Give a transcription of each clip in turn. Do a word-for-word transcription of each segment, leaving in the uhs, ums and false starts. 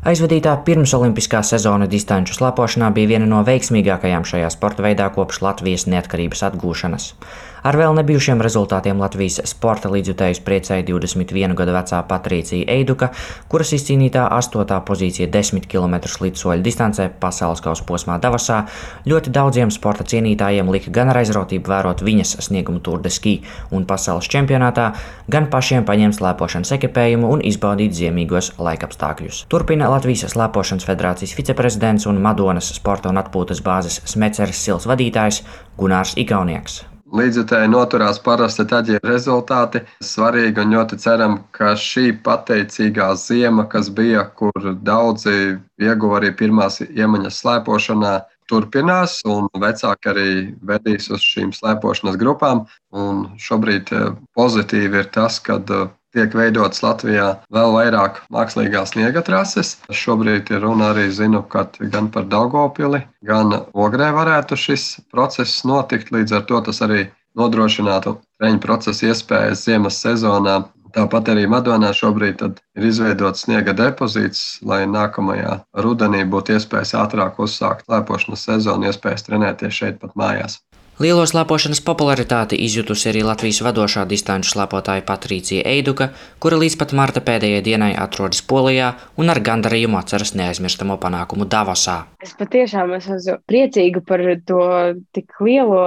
Aizvadītā pirmsolimpiskā sezona distanču slēpošanā bija viena no veiksmīgākajām šajā sporta veidā kopš Latvijas neatkarības atgūšanas. Ar vēl nebijušiem rezultātiem Latvijas sporta līdzjutējus priecēja divdesmit vienu gadu vecā Patricija Eiduka, kuras izcīnītā astotā pozīcija desmit kilometru slidsoļu distancē pasaules kausa posmā Davosā ļoti daudziem sporta cienītājiem lika gan ar aizrautību vērot viņas sniegumu Tour de Ski un pasaules čempionātā, gan pašiem paņemt slēpošanas ekipējumu un izbaudīt ziemīgos laikapstākļus. Turpina Latvijas slēpošanas federācijas viceprezidents un Madonas sporta un atpūtas bāzes Smeceres Sils vadītājs Gunārs Igaunieks. Līdzjutēji noturās parasti tad, ja ir rezultāti svarīgi, un ļoti ceram, ka šī pateicīgā ziema, kas bija, kur daudzi ieguva arī pirmās iemaņas slēpošanā, turpinās, un vecāki arī vedīs uz šīm slēpošanas grupām. Un šobrīd pozitīvi ir tas, ka tiek veidotas Latvijā vēl vairāk mākslīgās sniega trases. Šobrīd ir runa arī, zinu, ka gan par Daugavpili, gan Ogrē varētu šis process notikt. Līdz ar to tas arī nodrošinātu treņu procesa iespējas ziemas sezonā. Tāpat arī Madonā šobrīd ir izveidots sniega depozīts, lai nākamajā rudenī būtu iespējas ātrāk uzsākt slēpošanas sezonu, iespējas trenēties šeit pat mājās. Lielo slēpošanas popularitāti izjutusi arī Latvijas vadošā distanču slēpotāja Patricija Eiduka, kura līdz pat marta pēdējai dienai atrodas Polijā un ar gandarījumu atceras neaizmirstamo panākumu Davosā. Es patiešām esmu priecīga par to tik lielo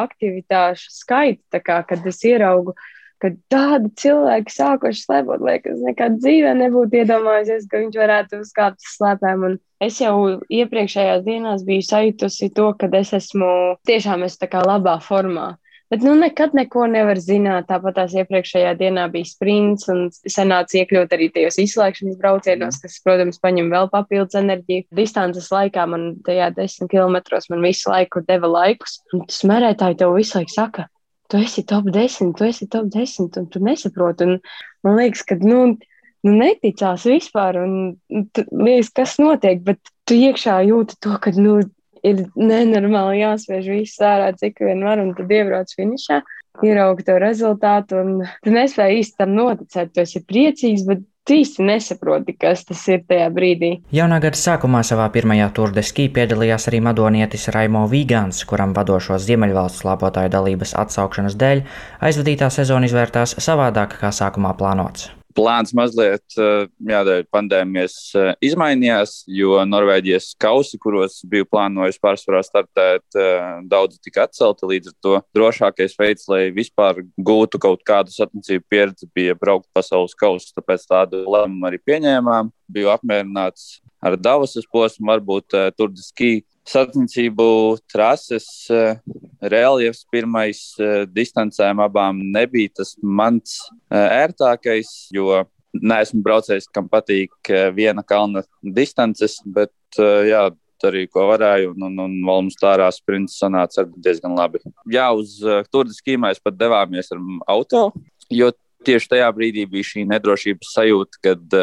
aktivitāšu skaitu, tā kā, kad es ieraugu, ka tādi cilvēki sākuši slēpot, liekas, nekad dzīvē nebūtu iedomājusies, ka viņš varētu uzkāpt uz slēpēm. Un es jau iepriekšējās dienās biju sajutusi to, ka es esmu tiešām es tā kā labā formā. Bet nu nekad neko nevar zināt. Tāpat tās iepriekšējā dienā bija sprints un sanāca iekļūt arī tajos izslēgšanas braucienos, kas, protams, paņem vēl papildus enerģiju. Distances laikā man tajā desmit kilometros man visu laiku deva laikus. Un smērētāji tev visu laiku saka, tu esi top desmit, tu esi top desmit, un tu nesaproti. Un man liekas, ka nu, nu neticās vispār, un tu, liekas, kas notiek, bet tu iekšā jūti to, ka nu, ir nenormāli jāspiež viss ārā, cik vien var, un tad iebrauc finišā, ieraugi to rezultātu, un tu nespēji īsti tam noticēt, tu esi priecīgs, bet tu īsti nesaproti, kas tas ir tajā brīdī. Jaunā gada sākumā savā pirmajā Tour de Ski piedalījās arī madonietis Raimo Vīgāns, kuram vadošo Ziemeļvalstu slēpotāju dalības atsaukšanas dēļ aizvadītā sezona izvērtās savādāk kā sākumā plānots. Plāns mazliet, jādēļ pandēmijas izmainījās, jo Norvēģijas kausi, kuros biju plānojis pārsvarā startēt, daudzi tika atcelti, līdz ar to drošākais veids, lai vispār gūtu kaut kādu sacensību pieredzi, bija braukt pasaules kausus, tāpēc tādu lēmumu arī pieņēmām. Biju apmierināts ar Davosas posmu, varbūt Tour de Ski sacensību trases, reljefs pirmais distancēm abām nebija tas mans ērtākais, jo neesmu braucējis, kam patīk viena kalna distances, bet jā, darīju, ko varēju, un, un, un Valmustārā sprints sanāca diezgan labi. Jā, uz Tour de Ski mēs pat devāmies ar auto, jo tieši tajā brīdī bija šī nedrošības sajūta, kad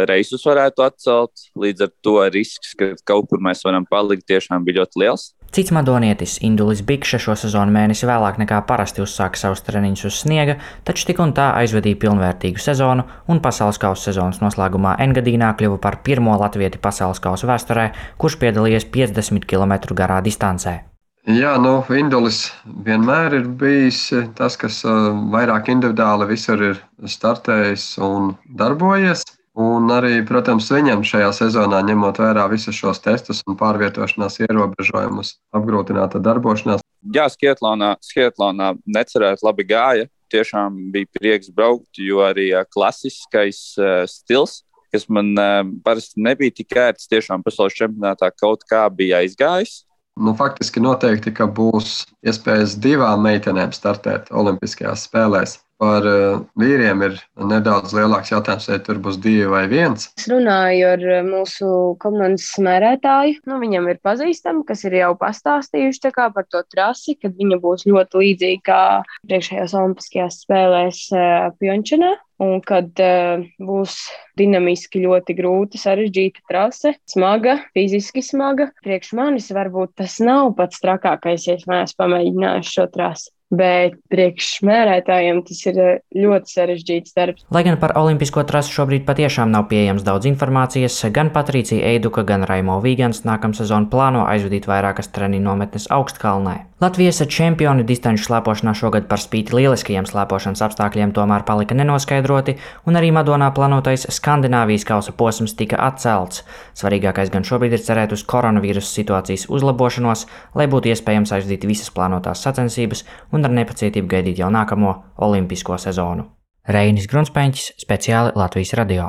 reisus varētu atcelt, līdz ar to risks, ka kaut kur mēs varam palikt, tiešām bija ļoti liels. Cits madonietis Indulis Bikša šo sezonu mēnesi vēlāk nekā parasti uzsāka savus treniņus uz sniega, taču tik un tā aizvadīja pilnvērtīgu sezonu un pasaules kausa sezonas noslēgumā Engadīnā kļuva par pirmo latvieti pasaules kausa vēsturē, kurš piedalījies piecdesmit kilometru garā distancē. Jā, nu, Indulis vienmēr ir bijis tas, kas vairāk individuāli visur ir startējis un darbojies. Un arī, protams, viņam šajā sezonā, ņemot vērā visus šos testus un pārvietošanās ierobežojumus, apgrūtināta darbošanās. Jā, Skietlonā, Skietlonā necerēt labi gāja. Tiešām bija prieks braukt, jo arī klasiskais uh, stils, kas man uh, parasti nebija tik ērts, tiešām pasaules čempionātā kaut kā bija aizgājis. Nu, faktiski noteikti, ka būs iespējas divām meitenēm startēt Olimpiskajās spēlēs. Par uh, vīriem ir nedaudz lielāks jautājums, vai tur būs divi vai viens. Es runāju ar mūsu komandas smērētāju. Nu, viņam ir pazīstami, kas ir jau pastāstījuši tā kā par to trasi, kad viņa būs ļoti līdzīga kā priekšējās Olimpiskajās spēlēs uh, Pjončanā. un kad uh, būs dinamiski ļoti grūta, sarežģīta trase, smaga, fiziski smaga. Priekš manis varbūt tas nav pats trakākais, ja es neesmu pamēģinājis šo trasi. Bet priekš mērētājiem tas ir ļoti sarežģīts darbs. Lai gan par olimpisko trasi šobrīd patiešām nav pieejams daudz informācijas, gan Patricija Eiduka, gan Raimo Vīgans nākamsezon plāno aizvadīt vairākas treniņu nometnes Augstkalnē. Latvijas čempioni distanču slēpošanā šogad par spīti lieliskajiem slēpošanas apstākļiem tomēr palika nenoskaidroti, un arī Madonā plānotais Skandināvijas kausa posms tika atcelts. Svarīgākais gan šobrīd ir cerēt uz koronavīrusa situācijas uzlabošanos, lai būtu iespējams aizvadīt visas plānotās sacensības un ar nepacietību gaidīt jau nākamo olimpisko sezonu. Reinis Grunspeņķis, speciāli Latvijas radio.